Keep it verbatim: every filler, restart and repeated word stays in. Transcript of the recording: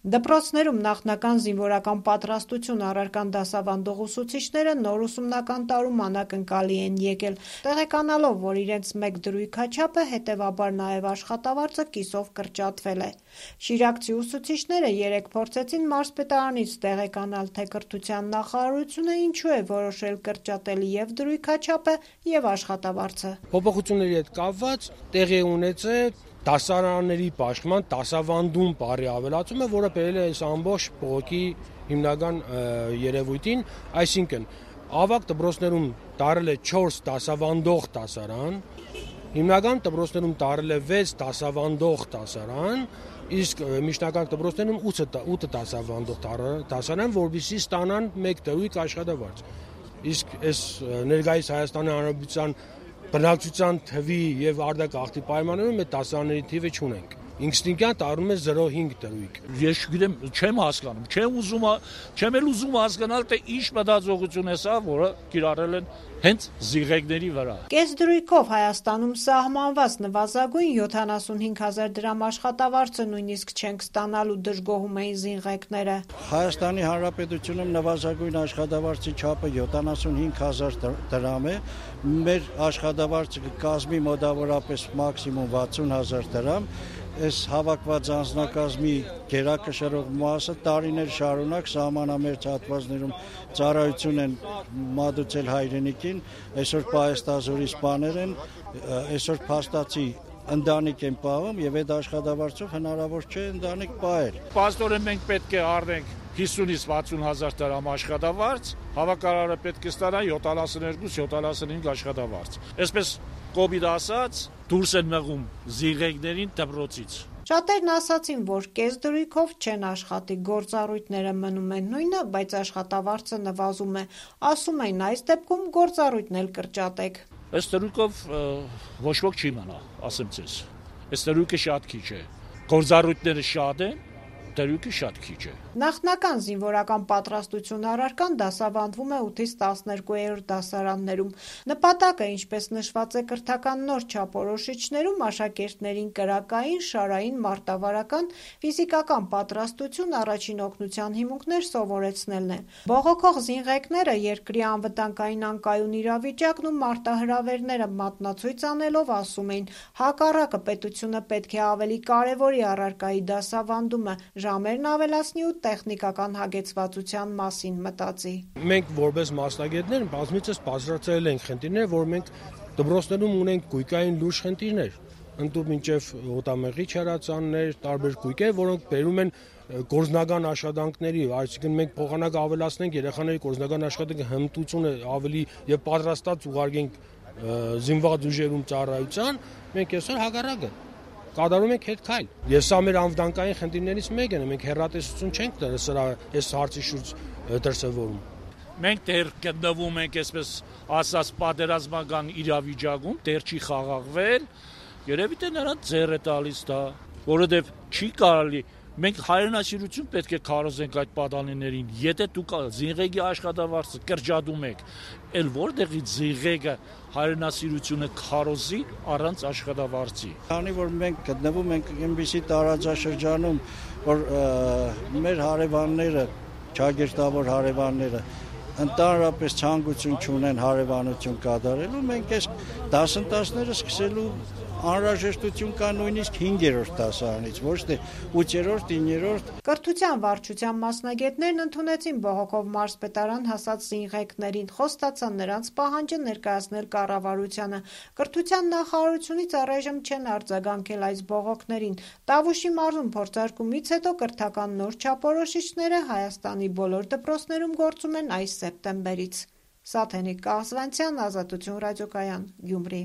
Դպրոցներում նախնական զինվորական պատրաստություն առարկան դասավանդող ուսուցիչները նոր ուսումնական տարում անակնկալի են եկել, տեղեկանալով, որ իրենց մեկ դրույքաչափը, հետևաբար նաև աշխատավարձը կիսով կրճատվել է։ Շիրակցի ուսուցիչները երեկ փորձեցին մարզպետարանից տեղեկանալ, թե կրթության նախարարությունը ինչու է որոշել կրճատել և դրույքաչափը, և աշխատավարձը։ Փոփոխությունների հետ կապված տեղի է ունեցել դասարանների պաշտպան դասավանդում բառի ավելացումը, որը բերել է այս ամբողջ բողոքի հիմնական երևույթին, այսինքն ավագ դպրոցներում տարել է չորս դասավանդող դասարան, հիմնական դպրոցներում տարել է վեց դասավանդող դասարան, իսկ միջնակարգ դպրոցներում ութ դասավանդող դասարան, որպեսզի ստանան մեկ դրույք աշխատավարձ։ Իսկ այս ներկայիս Հայաստանի Հանրապետության բնակչության թվի եւ արտագաղթի պայմաններում այդ դասարանների թիվը չունենք։ Ինստինկտիվ տարում է զրո հինգ դրույք։ Ես չգիտեմ, չեմ հասկանում, չեմ ուզում, չեմ էլ ուզում հասկանալ, թե ինչ մտածողություն է սա, որը կիրառել են հենց զիղեկների վրա։ Կես դրույքով Հայաստանում սահմանված նվազագույն յոթանասունհինգ հազար դրամ աշխատավարձը նույնիսկ չենք ստանալու, դժգոհում էին զինղեկները։ Հայաստանի Հանրապետությունում նվազագույն աշխատավարձի չափը յոթանասունհինգ հազար դրամ է, մեր աշխատավարձը կկազմի մոտավորապես մաքսիմում վաթսուն հազար դրամ։ Այս հավաքված անձնակազմի գերակշռող մասը տարիներ շարունակ սահմանամերձ հատվածներում ծառայություն են մատուցել հայրենիքին, այսօր պահեստազորի սպաներ են, այսօր փաստացի ընտանիք են պահում եւ այդ աշխատավարձով հնարավոր չէ ընտանիք պահել։ Պաստորեն մենք պետք է առնենք հիսունից վաթսուն հազար դրամ աշխատավարձ, հավաքարարը պետք է ստանա յոթանասունհինգ յոթանասունհինգ աշխատավարձ։ Այսպես կոպիտ ասած, դուրս են մղում զիղեկներին դպրոցից։ Շատերն ասացին, որ կես դրույքով չեն աշխատի, գործառույթները մնում են նույնը, բայց աշխատավարձը նվազում է։ Ասում են, այս դեպքում գործառույթն էլ կրճատեք։ Այս դրույքով ոչ ոք չի մնա, ասեմ ձեզ։ Այս դրույքը շատ քիչ է։ Գործառույթները շատ են, դրույքը շատ քիչ է։ Նախնական զինվորական պատրաստություն առարկան դասավանդվում է ութից տասներկուերորդ դասարաններում։ Նպատակը, ինչպես նշված է կրթական նոր չափորոշիչներում, աշակերտներին կրակային, շարային, մարտավարական, ֆիզիկական պատրաստություն, առաջին օգնության հիմունքներ սովորեցնելն է։ Բողոքող զինղեկները երկրի անվտանգային անկայուն իրավիճակն ու մարտահրավերները մատնացույց անելով ասում էին, հակառակը պետությունը պետք է ավելի կարևորի առարկայի դասավանդումը, ժամերն ավելացնի ու տեխնիկական հագեցվածության մասին մտածի։ Մենք որպես մասնագետներ բազմիցս բարձրացրել ենք խնդիրներ, որ մենք դպրոցներում ունենք գույքային լուրջ խնդիրներ, ընդդուք մինչև օտամեղի չարացաններ, տարբեր գույքեր, որոնք բերում են գործնական աշխատանքների, այսինքն մենք փոխանակ ավելացնենք երեխաների գործնական աշխատանքի հմտությունը ավելի եւ պատրաստած ուղարկենք զինված ուժերում ծառայության, մենք այսօր հակառակը կատարում ենք հետ քայլ։ Ես սա մեր անվտանգային խնդիրներից մեկն է, մենք հեռատեսություն չենք սրա այս հարցի շուրջ դրսևորում։ Մենք դեռ գտնվում ենք, այսպես ասած, պատերազմական իրավիճակում, դեռ չի խաղաղվել, երևի թե նրանց ձեռ է տալիս դա, որովհետև չի կարելի, մենք հայրենասիրություն պետք է քարոզենք այդ պատանիներին, եթե դուք զինղեկի աշխատավարձը կրճատում եք, էլ որտեղից զինղեկը հայրենասիրությունը քարոզի առանց աշխատավարձի։ Քանի որ մենք գտնվում ենք այնպիսի տարածաշրջանում, որ մեր հարևանները, ճագերտավոր հարևանները ընդհանրապես ցանկություն չունեն հարևանություն կատարելու, մենք այս դասընթացները սկսելու անհրաժեշտություն կա նույնիսկ հինգերորդ դասարանից, ոչ թե ութերորդ, իններորդ։ Կրթության վարչության մասնագետներն ընդունեցին բողոքով մարզպետարան հասած զինղեկներին, խոստացան նրանց պահանջը ներկայացնել կառավարությանը։ Կրթության նախարարությունից առայժմ չեն արձագանքել այս բողոքներին։ Տավուշի մարզում փորձարկումից հետո կրթական նոր չափորոշիչները Հայաստանի բոլոր դպրոցներում գործում են այս սեպտեմբերից։ Սաթենիկ Կաղզվանցյան, Ազատություն ռադիոկայան, Գյումրի։